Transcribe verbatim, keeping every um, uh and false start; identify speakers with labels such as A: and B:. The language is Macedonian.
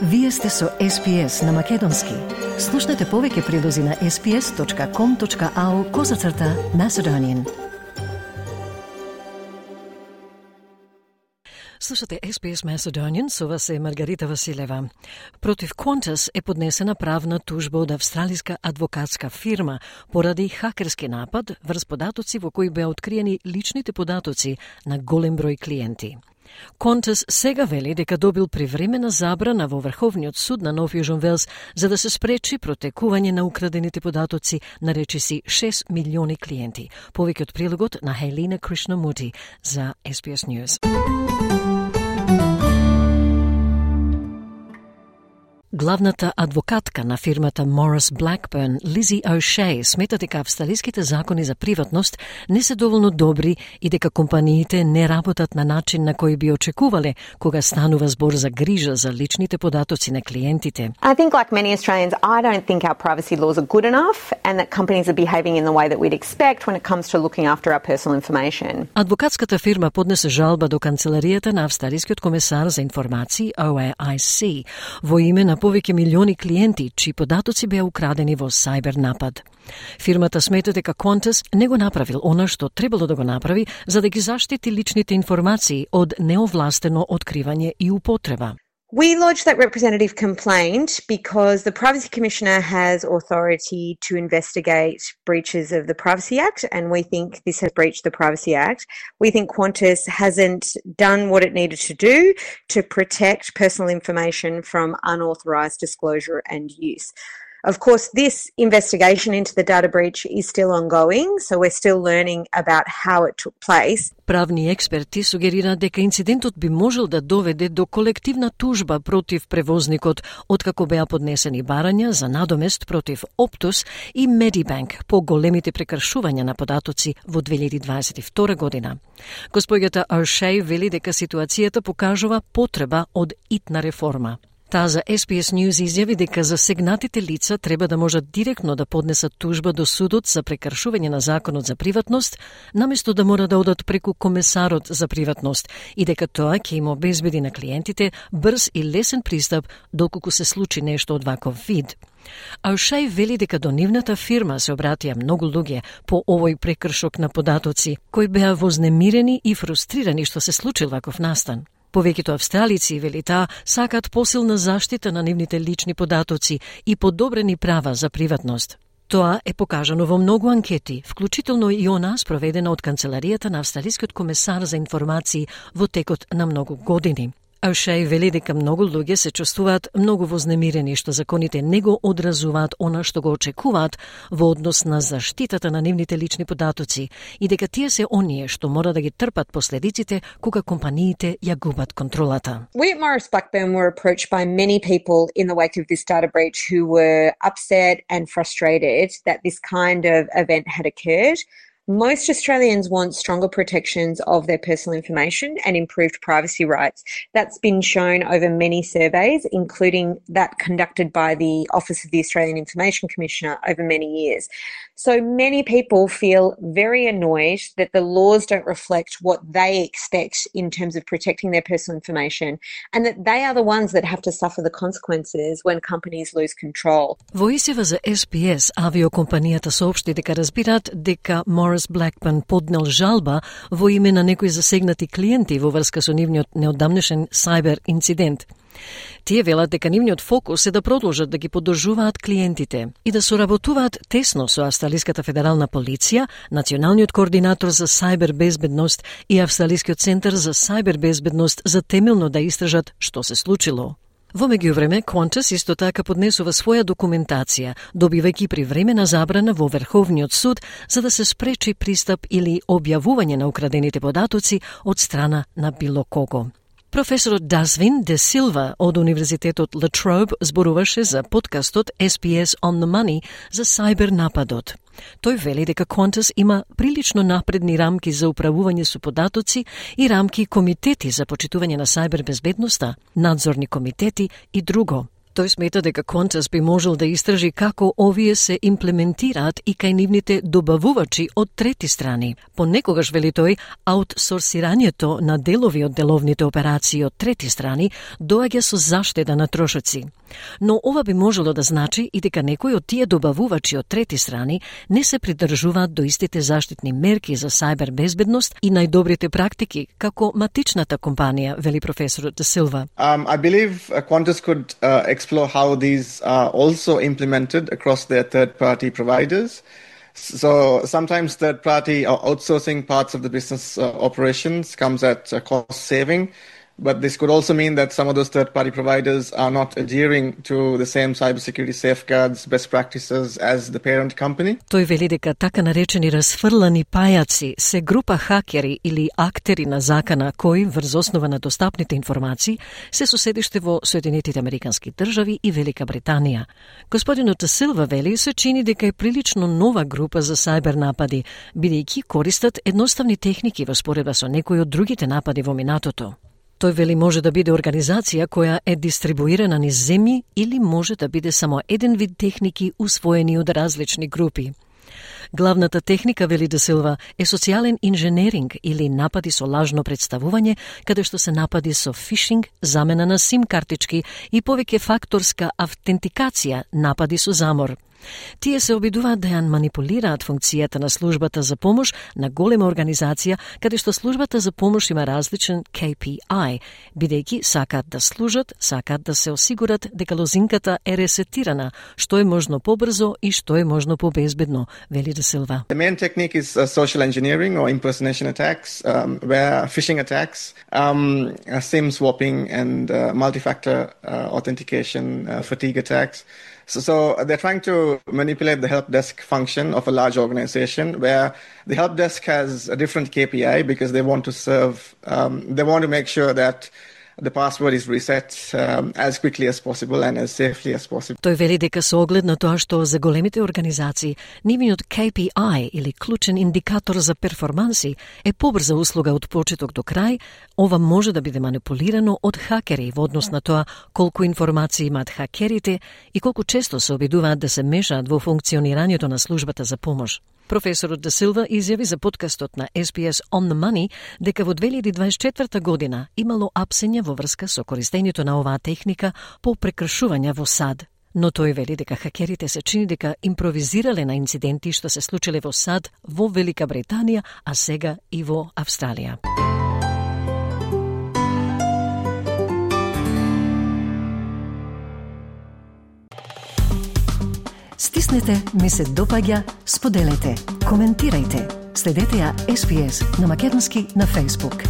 A: Вие сте со Ес Би Ес на Македонски. Слушнете повеќе прилози на ес би ес точка ком точка ау козацрта Macedonian. Слушате Ес Би Ес Macedonian, со вас е Маргарита Василева. Против Qantas е поднесена правна тужба од австралиска адвокатска фирма поради хакерски напад врз податоци во кои беа откриени личните податоци на голем број клиенти. Qantas сега вели дека добил привремена забрана во Врховниот суд на Нов Јужен Велс за да се спречи протекување на украдените податоци на речиси шест милиони клиенти. Повеќе од прилогот на Хелина Кришнамути за Ес Би Ес News. Главната адвокатка на фирмата Morris Blackburn, Лизи О'Шей, смета дека австралиските закони за приватност не се доволно добри и дека компаниите не работат на начин на кој би очекувале кога станува збор за грижа за личните податоци на клиентите.
B: I think like many Australians, I don't think our privacy laws are good enough and that companies are behaving in the way that we'd expect when it comes to looking after our personal information.
A: Адвокатската фирма поднесе жалба до канцеларијата на австралискиот комесар за информации О Е Ай Си во име на повеќе милиони клиенти чии податоци беа украдени во сајбер напад. Фирмата смета дека Qantas не го направил она што требало да го направи за да ги заштити личните информации од неовластено откривање и употреба.
B: We lodged that representative complaint because the Privacy Commissioner has authority to investigate breaches of the Privacy Act, and we think this has breached the Privacy Act. We think Qantas hasn't done what it needed to do to protect personal information from unauthorised disclosure and use. Of course, this investigation into the data breach is still ongoing, so we're still learning about how it took place.
A: Правни експерти сугерираат дека инцидентот би можел да доведе до колективна тужба против превозникот, откако беа поднесени барања за надомест против Optus и Medibank по големите прекршувања на податоци во две илјади дваесет и втора година. Господјата О'Шей вели дека ситуацијата покажува потреба од итна реформа. Таа за Ес Би Ес News изјави дека засегнатите лица треба да можат директно да поднесат тужба до судот за прекршување на законот за приватност, наместо да мора да одат преку комесарот за приватност и дека тоа ќе им обезбеди на клиентите брз и лесен пристап доколку се случи нешто од ваков вид. О'Шей вели дека до нивната фирма се обратија многу луѓе по овој прекршок на податоци, кои беа вознемирени и фрустрирани што се случил ваков настан. Повеќето австралици, вели таа, сакаат посилна заштита на нивните лични податоци и подобрени права за приватност. Тоа е покажано во многу анкети, вклучително и она спроведена од канцеларијата на австралискиот комесар за информации во текот на многу години. О'Шей вели дека многу луѓе се чувствуваат многу вознемирени што законите не го одразуваат она што го очекуваат во однос на заштитата на нивните лични податоци и дека тие се оние што мора да ги трпат последиците кога компаниите ја губат контролата.
B: We at Morris Blackburn were approached by many people in the wake of this data breach who were upset and frustrated that this kind of event had occurred. Most Australians want stronger protections of their personal information and improved privacy rights. That's been shown over many surveys, including that conducted by the Office of the Australian Information Commissioner over many years. So many people feel very annoyed that the laws don't reflect what they expect in terms of protecting their personal information and that they are the ones that have to suffer the consequences when companies lose control.
A: Во изјава за Ес Би Ес, авиокомпанијата соопшти дека разбираат дека Morris Blackburn поднел жалба во име на некои засегнати клиенти во врска со нивниот неодамнешен сајбер инцидент. Тие велат дека нивниот фокус е да продолжат да ги поддржуваат клиентите и да соработуваат тесно со Австралиската федерална полиција, Националниот координатор за сајбер безбедност и Австралискиот центар за сајбер безбедност за темелно да истражат што се случило. Во меѓувреме, Qantas исто така поднесува своја документација, добивајќи привремена забрана во Врховниот суд за да се спречи пристап или објавување на украдените податоци од страна на било кого. Професорот Дазвин Де Силва од Универзитетот Ла Троbe зборуваше за подкастот Ес Би Ес On The Money за сајбер нападот. Тој вели дека Qantas има прилично напредни рамки за управување со податоци и рамки комитети за почитување на сајбер безбедноста, надзорни комитети и друго. Тој смета дека Qantas би можел да истражи како овие се имплементираат и кај нивните добавувачи од трети страни. Понекогаш, вели тој, аутсорсирањето на делови од деловните операции од трети страни доаѓа со заштеда на трошоци. Но ова би можело да значи и дека некои од тие добавувачи од трети страни не се придржуваат до истите заштитни мерки за сајбер безбедност и најдобрите практики, како матичната компанија, вели професорот Де Силва.
C: Um, I believe uh, Qantas could uh, explore how these are also implemented across their third-party providers. So sometimes third-party or outsourcing parts of the business uh, operations comes at a cost saving. But this could also mean that some of those third-party providers are not adhering to the same cybersecurity safeguards, best practices as the parent company.
A: Тој вели дека така наречени расфрлани пајаци се група хакери или актери на закана кои, врз основа на достапните информации, се со седиште во Соединетите Американски држави и Велика Британија. Господинот Де Силва вели се чини дека е прилично нова група за сајбер напади, бидејќи користат едноставни техники во споредба со некои од другите напади во минатото. Тој вели може да биде организација која е дистрибуирана низ земји или може да биде само еден вид техники усвоени од различни групи. Главната техника, вели Де Силва, е социјален инженеринг или напади со лажно представување, каде што се напади со фишинг, замена на сим картички и повеќе факторска автентикација, напади со замор. Тие се обидуваат да ја манипулираат функцијата на службата за помош на голема организација, каде што службата за помош има различен K P I, бидејќи сакаат да служат, сакаат да се осигурат дека лозинката е ресетирана, што е можно побрзо и што е можно побезбедно, вели Де Силва.
C: The main technique is uh, social engineering or impersonation attacks, um, where phishing attacks, um, uh, SIM swapping and uh, multi-factor uh, authentication, uh, fatigue attacks. So, so they're trying to manipulate the help desk function of a large organization where the help desk has a different K P I because they want to serve, um, they want to make sure that the password is reset um, as quickly as possible and as safely as possible.
A: Тој вели дека со оглед на тоа што за големите организации нивниот K P I или клучен индикатор за перформанси е побрза услуга од почеток до крај, ова може да биде манипулирано од хакери во однос на тоа колку информации имаат хакерите и колку често се обидуваат да се мешаат во функционирањето на службата за помош. Професорот Де Силва изјави за подкастот на S B S On the Money дека во две илјади дваесет и четврта година имало апсења во врска со користењето на оваа техника по прекршувања во САД. Но тој вели дека хакерите се чини дека импровизирале на инциденти што се случиле во САД, во Велика Британија, а сега и во Австралија. Стиснете, ми се допаѓа, споделете, коментирајте. Следете ја S B S на македонски на Facebook.